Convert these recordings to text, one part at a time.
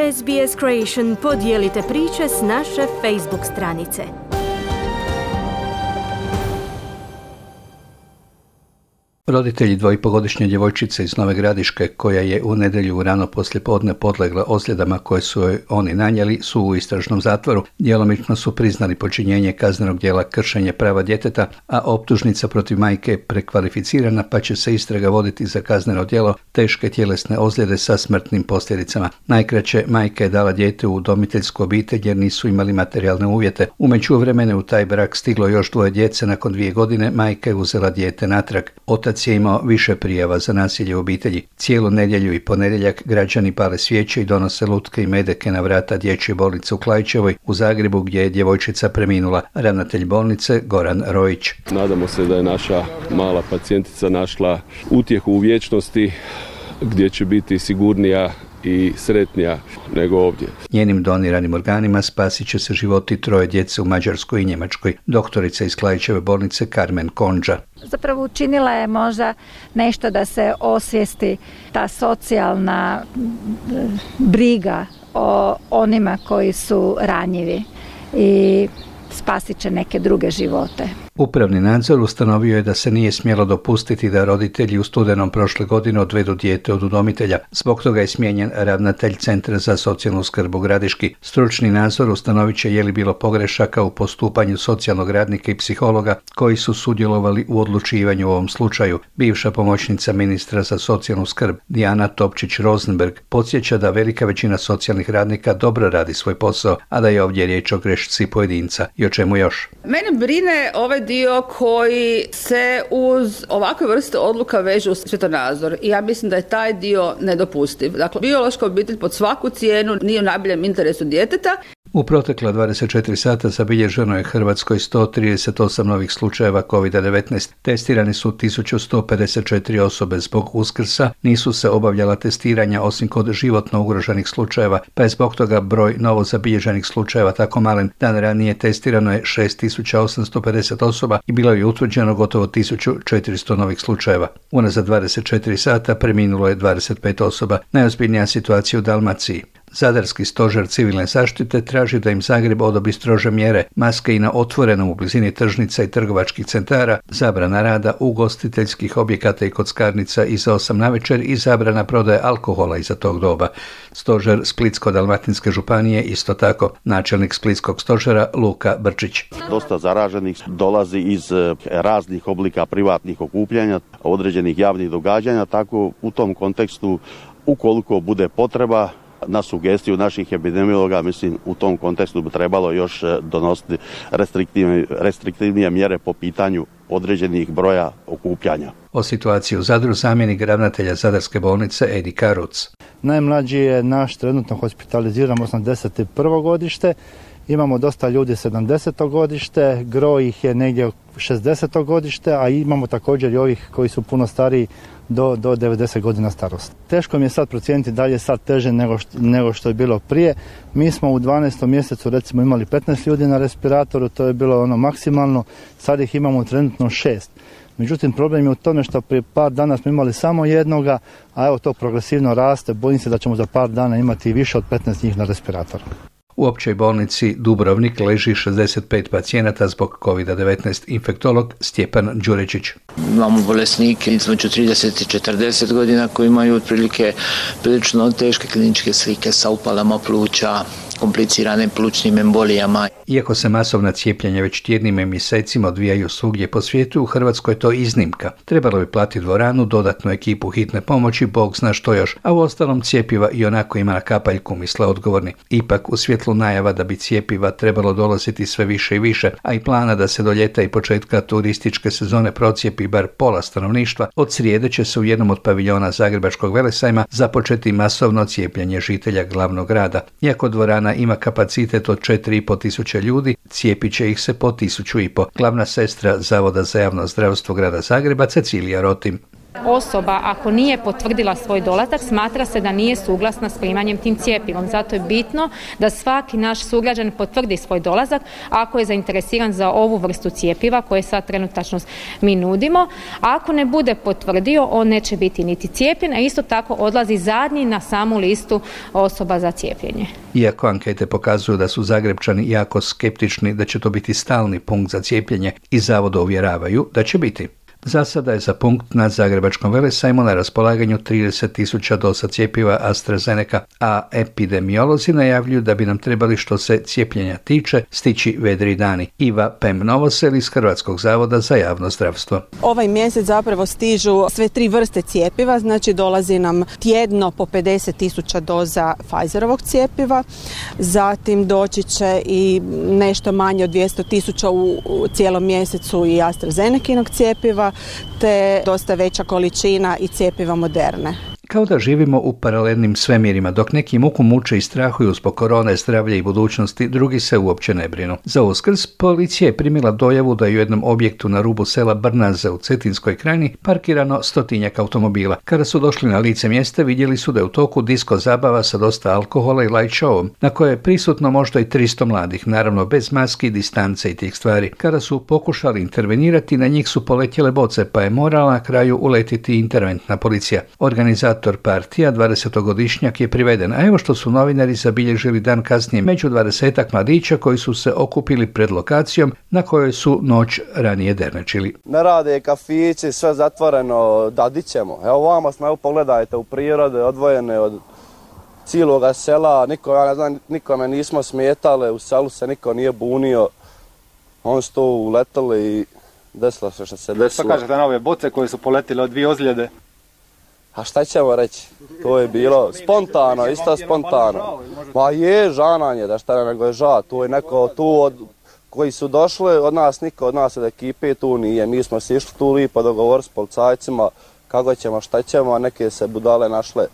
SBS Creation podijelite priče s naše Facebook stranice. Roditelji dvoipogodišnje djevojčice iz Nove Gradiške, koja je u nedjelju rano poslijepodne podlegla ozljedama koje su joj oni nanijeli, su u istražnom zatvoru. Djelomično su priznali počinjenje kaznenog djela kršenje prava djeteta, a optužnica protiv majke je prekvalificirana, pa će se istraga voditi za kazneno djelo teške tjelesne ozljede sa smrtnim posljedicama. Najkraće, majka je dala dijete u udomiteljsku obitelj jer nisu imali materijalne uvjete. U međuvremenu u taj brak stiglo još 2 djece. Nakon 2 godine majka je uzela dijete natrag. Otac je imao više prijava za nasilje u obitelji. Cijelu nedjelju i ponedjeljak građani pale svijeće i donose lutke i medeke na vrata dječje bolnice u Klaićevoj u Zagrebu, gdje je djevojčica preminula. Ravnatelj bolnice Goran Rojić. Nadamo se da je naša mala pacijentica našla utjehu u vječnosti gdje će biti sigurnija i sretnija nego ovdje. Njenim doniranim organima spasit će se životi 3 djece u Mađarskoj i Njemačkoj. Doktorica iz Klaićeve bolnice Carmen Konđa. Zapravo učinila je možda nešto da se osvijesti ta socijalna briga o onima koji su ranjivi i spasit će neke druge živote. Upravni nadzor ustanovio je da se nije smjelo dopustiti da roditelji u studenom prošle godine odvedu dijete od udomitelja. Zbog toga je smijenjen ravnatelj Centra za socijalnu skrb u Gradiški. Stručni nadzor ustanovit će je li bilo pogrešaka u postupanju socijalnog radnika i psihologa koji su sudjelovali u odlučivanju u ovom slučaju. Bivša pomoćnica ministra za socijalnu skrb Dijana Topčić-Rosenberg podsjeća da velika većina socijalnih radnika dobro radi svoj posao, a da je ovdje riječ o grešci pojedinca. I o čemu još? Mene brine ovaj dio koji se uz ovakve vrste odluka veže u svjetonazor i ja mislim da je taj dio nedopustiv. Dakle, biološka obitelj pod svaku cijenu nije u najboljem interesu djeteta. U protekla 24 sata zabilježeno je Hrvatskoj 138 novih slučajeva COVID-19. Testirani su 1154 osobe. Zbog Uskrsa nisu se obavljala testiranja osim kod životno ugroženih slučajeva, pa je zbog toga broj novo zabilježenih slučajeva tako malen. Dan ranije testirano je 6850 osoba i bilo je utvrđeno gotovo 1400 novih slučajeva. Unazad 24 sata preminulo je 25 osoba. Najozbiljnija situacija u Dalmaciji. Zadarski stožer civilne zaštite traži da im Zagreb odobri strože mjere, maske i na otvorenom u blizini tržnica i trgovačkih centara, zabrana rada ugostiteljskih objekata i kockarnica iza 8 navečer i zabrana prodaje alkohola iza tog doba. Stožer Splitsko-dalmatinske županije isto tako. Načelnik Splitskog stožera Luka Brčić. Dosta zaraženih dolazi iz raznih oblika privatnih okupljanja, određenih javnih događanja, tako u tom kontekstu ukoliko bude potreba, na sugestiju naših epidemiologa, mislim, u tom kontekstu bi trebalo još donositi restriktivnije mjere po pitanju određenih broja okupljanja. O situaciji u Zadru zamjenik ravnatelja Zadarske bolnice Edi Karuc. Najmlađi je naš trenutno hospitaliziran 81. godište. Imamo dosta ljudi 70. godište, gro ih je negdje 60. godište, a imamo također i ovih koji su puno stariji do 90 godina starosti. Teško mi je sad procijeniti da li je sad teže nego što je bilo prije. Mi smo u 12. mjesecu recimo imali 15 ljudi na respiratoru, to je bilo ono maksimalno, sad ih imamo trenutno 6. Međutim, problem je u tome što prije par dana smo imali samo jednoga, a evo to progresivno raste, bojim se da ćemo za par dana imati više od 15 njih na respiratoru. U općoj bolnici Dubrovnik leži 65 pacijenata zbog COVID-19, infektolog Stjepan Đurečić. Imamo bolesnike između 30 i 40 godina koji imaju otprilike prilično teške kliničke slike sa upalama pluća, kompliciranim plućnim embolijama. Iako se masovna cijepljenja već tjednima i mjesecima odvijaju svugdje po svijetu, u Hrvatskoj je to iznimka. Trebalo bi platiti dvoranu, dodatnu ekipu hitne pomoći, Bog zna što još, a u ostalom cjepiva i onako ima na kapaljku, misle odgovorni. Ipak, u svjetlu najava da bi cjepiva trebalo dolaziti sve više i više, a i plana da se do ljeta i početka turističke sezone procijepi bar pola stanovništva, od srijede će se u jednom od paviljona Zagrebačkog velesajma započeti masovno cijepljenje žitelja glavnog grada. Iako dvorana ima kapacitet od 4.500 ljudi, cijepit će ih se po 1.500. Glavna sestra Zavoda za javno zdravstvo grada Zagreba Cecilija Rotim. Osoba ako nije potvrdila svoj dolazak, smatra se da nije suglasna s primanjem tim cjepivom. Zato je bitno da svaki naš sugrađan potvrdi svoj dolazak ako je zainteresiran za ovu vrstu cjepiva koje sad trenutačno mi nudimo. Ako ne bude potvrdio, on neće biti niti cijepljen, a isto tako odlazi zadnji na samu listu osoba za cijepljenje. Iako ankete pokazuju da su Zagrebčani jako skeptični da će to biti stalni punkt za cijepljenje i zavoda uvjeravaju da će biti. Za sada je za punkt na Zagrebačkom velesajmu na raspolaganju 30.000 doza cjepiva AstraZeneca, a epidemiolozi najavljuju da bi nam trebali, što se cijepljenja tiče, stići vedri dani. Iva Pem-Novosel iz Hrvatskog zavoda za javno zdravstvo. Ovaj mjesec zapravo stižu sve 3 vrste cjepiva, znači dolazi nam tjedno po 50.000 doza Pfizerovog cjepiva, zatim doći će i nešto manje od 200.000 u cijelom mjesecu i AstraZenekinog cjepiva, te dosta veća količina i cjepiva Moderne. Kao da živimo u paralelnim svemirima, dok neki muku muče i strahuju zbog korone, zdravlja i budućnosti, drugi se uopće ne brinu. Za Uskrs policija je primila dojavu da je u jednom objektu na rubu sela Brnaze u Cetinskoj krajini parkirano 100-tinjak automobila. Kada su došli na lice mjesta, vidjeli su da je u toku disko zabava sa dosta alkohola i light showom, na koje je prisutno možda i 300 mladih, naravno bez maski, distance i tih stvari. Kada su pokušali intervenirati, na njih su poletjele boce, pa je morala na kraju uletiti interventna policija. Organizator partija, 20-godišnjak, je priveden, a evo što su novinari zabilježili dan kasnije među 20-ak mladića koji su se okupili pred lokacijom na kojoj su noć ranije dernečili. Ne rade kafići, sve zatvoreno, da di ćemo. Evo vama smo, evo pogledajte, u prirode, odvojene od cijeloga sela, nikome nismo smetali, u selu se niko nije bunio, oni su to uletali i desilo se što se desilo. Šta kažete na ove boce koje su poletile od 2 ozljede? A šta ćemo reći? To je bilo spontano, isto spontano. Ma je žananje, da šta nego je ža. To je neko tu od koji su došli, od nas niko, od nas od ekipe tu nije. Mi smo se išli tu lipo dogovor s policajcima kako ćemo, šta ćemo, a neke se budale našle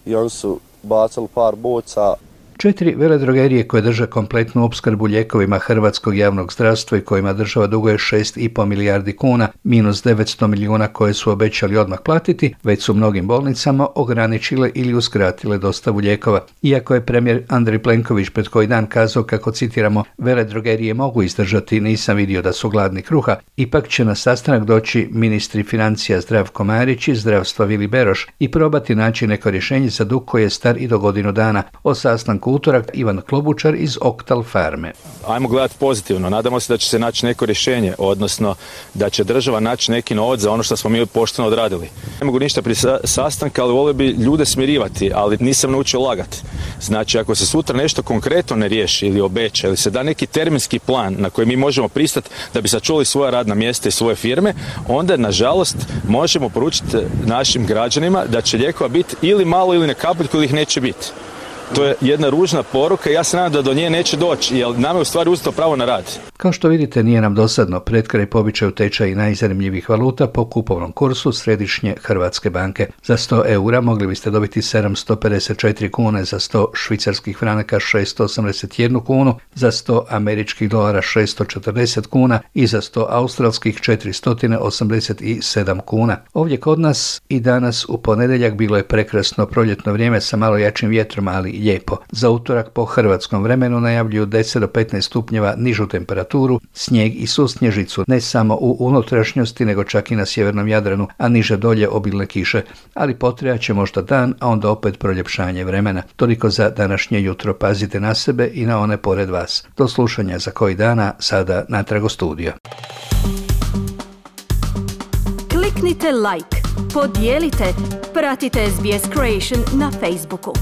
i oni su bacili par boca. 4 veledrogerije koje drže kompletnu opskrbu lijekovima hrvatskog javnog zdravstva i kojima država duguje 6,5 milijardi kuna, minus 900 milijuna koje su obećali odmah platiti, već su mnogim bolnicama ograničile ili uskratile dostavu lijekova. Iako je premijer Andrej Plenković pred koji dan kazao kako, citiramo, veledrogerije mogu izdržati, nisam vidio da su gladni kruha, ipak će na sastanak doći ministri financija Zdravko Marić i zdravstva Vili Beroš i probati naći neko rješenje za dug koji je star i do godinu dana. O sastanku utorak Ivan Klobučar iz Oktal Farme. Ajmo gledati pozitivno. Nadamo se da će se naći neko rješenje, odnosno da će država naći neki novac za ono što smo mi pošteno odradili. Ne mogu ništa prije sastanka, ali volio bi ljude smirivati, ali nisam naučio lagati. Znači, ako se sutra nešto konkretno ne riješi ili obeća, ili se da neki terminski plan na koji mi možemo pristati da bi sačuvali svoja radna mjesta i svoje firme, onda, nažalost, možemo poručiti našim građanima da će lijekova biti ili malo ili ne kapljiku ili ih neće biti. To je jedna ružna poruka i ja se nadam da do nje neće doći, jer nam je u stvari uzeto pravo na rad. Kao što vidite, nije nam dosadno. Pred kraj pobičaju tečaji najzanimljivih valuta po kupovnom kursu Središnje Hrvatske banke. Za 100 eura mogli biste dobiti 754 kune, za 100 švicarskih franaka 681 kunu, za 100 američkih dolara 640 kuna i za 100 australskih 487 kuna. Ovdje kod nas i danas u ponedjeljak bilo je prekrasno proljetno vrijeme sa malo jačim vjetrom, ali lijepo. Za utorak po hrvatskom vremenu najavljuju 10 do 15 stupnjeva nižu temperaturu, snijeg i susnježicu, ne samo u unutrašnjosti, nego čak i na sjevernom Jadranu, a niže dolje obilne kiše. Ali potrebat će možda dan, a onda opet proljepšanje vremena. Toliko za današnje jutro. Pazite na sebe i na one pored vas. Do slušanja za koji dana, sada natrag u studio. Kliknite like, podijelite, pratite SBS Creation na Facebooku.